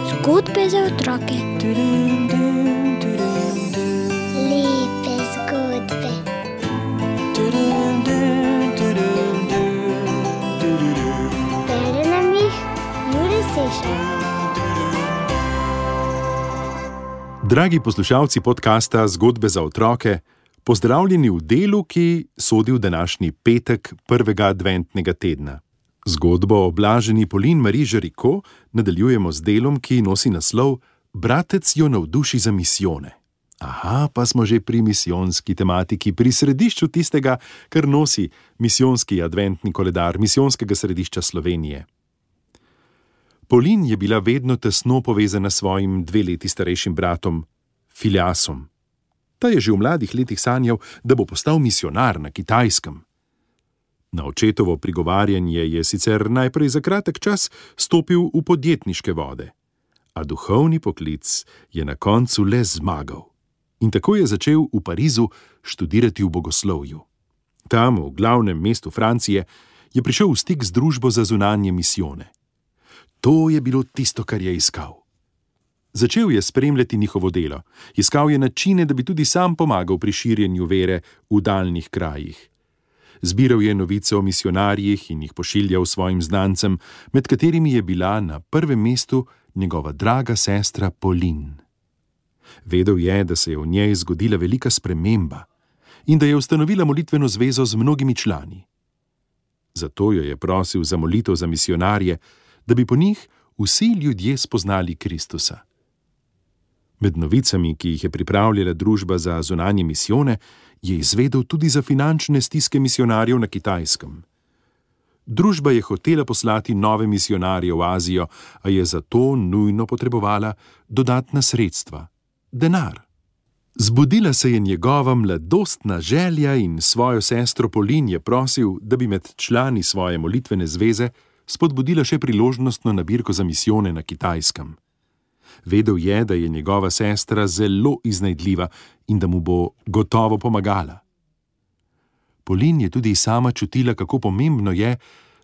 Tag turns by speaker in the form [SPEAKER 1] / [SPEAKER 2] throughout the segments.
[SPEAKER 1] Zgodbe za otroke. Lepe zgodbe. Bere nam jih Jure Sešar.
[SPEAKER 2] Dragi poslušalci podcasta Zgodbe za otroke, pozdravljeni v delu, ki sodi v današnji petek prvega adventnega tedna. Zgodbo o blaženi Pauline Marie Jaricot nadaljujemo z delom, ki nosi naslov Bratec jo navduši za misijone. Aha, pa smo že pri misijonski tematiki, pri središču tistega, kar nosi misijonski adventni koledar Misijonskega središča Slovenije. Pauline je bila vedno tesno povezana s svojim 2 leti starejšim bratom, Phileasom. Ta je že v mladih letih sanjal, da bo postal misijonar na Kitajskem. Na očetovo prigovarjanje je sicer najprej za kratek čas stopil v podjetniške vode, a duhovni poklic je na koncu le zmagal. In tako je začel v Parizu študirati v bogoslovju. Tam, v glavnem mestu Francije, je prišel v stik z družbo za zunanje misijone. To je bilo tisto, kar je iskal. Začel je spremljati njihovo delo, iskal je načine, da bi tudi sam pomagal pri širjenju vere v daljnih krajih. Zbiral je novice o misijonarjih in jih pošiljal svojim znancem, med katerimi je bila na prvem mestu njegova draga sestra Pauline. Vedel je, da se je v njej zgodila velika sprememba in da je ustanovila molitveno zvezo z mnogimi člani. Zato jo je prosil za molitev za misijonarje, da bi po njih vsi ljudje spoznali Kristusa. Med novicami, ki jih je pripravljala družba za zunanje misijone, je izvedel tudi za finančne stiske misijonarjev na Kitajskem. Družba je hotela poslati nove misijonarje v Azijo, a je zato nujno potrebovala dodatna sredstva, denar. Zbudila se je njegova mladostna želja in svojo sestro Pauline je prosil, da bi med člani svoje molitvene zveze spodbudila še priložnostno nabirko za misijone na Kitajskem. Vedel je, da je njegova sestra zelo iznajdljiva in da mu bo gotovo pomagala. Pauline je tudi sama čutila, kako pomembno je,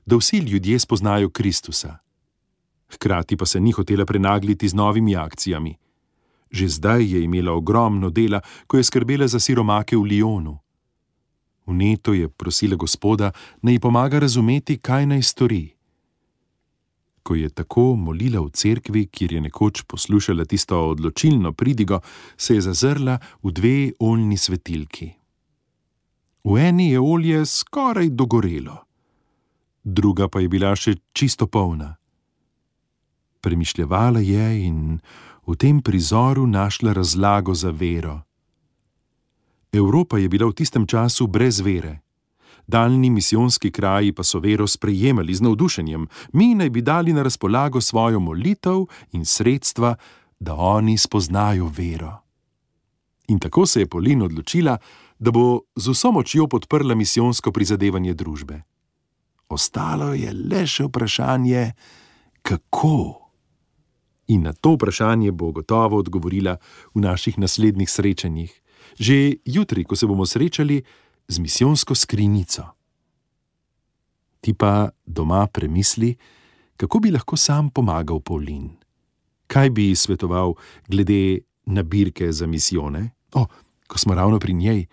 [SPEAKER 2] da vsi ljudje spoznajo Kristusa. Hkrati pa se ni hotela prenagliti z novimi akcijami. Že zdaj je imela ogromno dela, ko je skrbela za siromake v Lyonu. Vneto je prosila Gospoda, naj ji pomaga razumeti, kaj naj stori. Ko je tako molila v cerkvi, kjer je nekoč poslušala tisto odločilno pridigo, se je zazrla v 2 oljni svetilki. V eni je olje skoraj dogorelo, druga pa je bila še čisto polna. Premišljevala je in v tem prizoru našla razlago za vero. Evropa je bila v tistem času brez vere. Daljni misijonski kraji pa so vero sprejemali z navdušenjem. Mi naj bi dali na razpolago svojo molitev in sredstva, da oni spoznajo vero. In tako se je Pauline odločila, da bo z vso močjo podprla misijonsko prizadevanje družbe. Ostalo je le še vprašanje, kako? In na to vprašanje bo gotovo odgovorila v naših naslednjih srečanjih. Že jutri, ko se bomo srečali z misijonsko skrinjico. Ti pa doma premisli, kako bi lahko sam pomagal Pauline. Kaj bi svetoval glede nabirke za misijone? Ko smo ravno pri njej.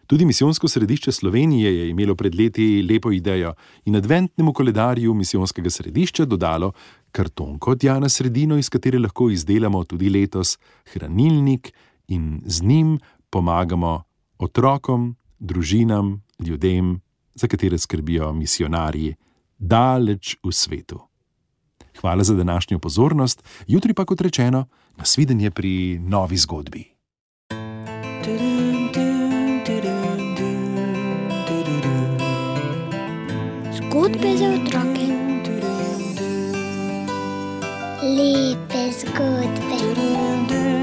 [SPEAKER 2] Tudi Misijonsko središče Slovenije je imelo pred leti lepo idejo in adventnemu koledarju Misijonskega središča dodalo kartonko tja na sredino, iz katere lahko izdelamo tudi letos hranilnik in z njim pomagamo otrokom, družinam, ljudem, za katere skrbijo misijonarji, daleč v svetu. Hvala za današnjo pozornost, jutri pa, kot rečeno, nasvidenje pri novi zgodbi.
[SPEAKER 1] Zgodbe za otroke. Lepe zgodbe.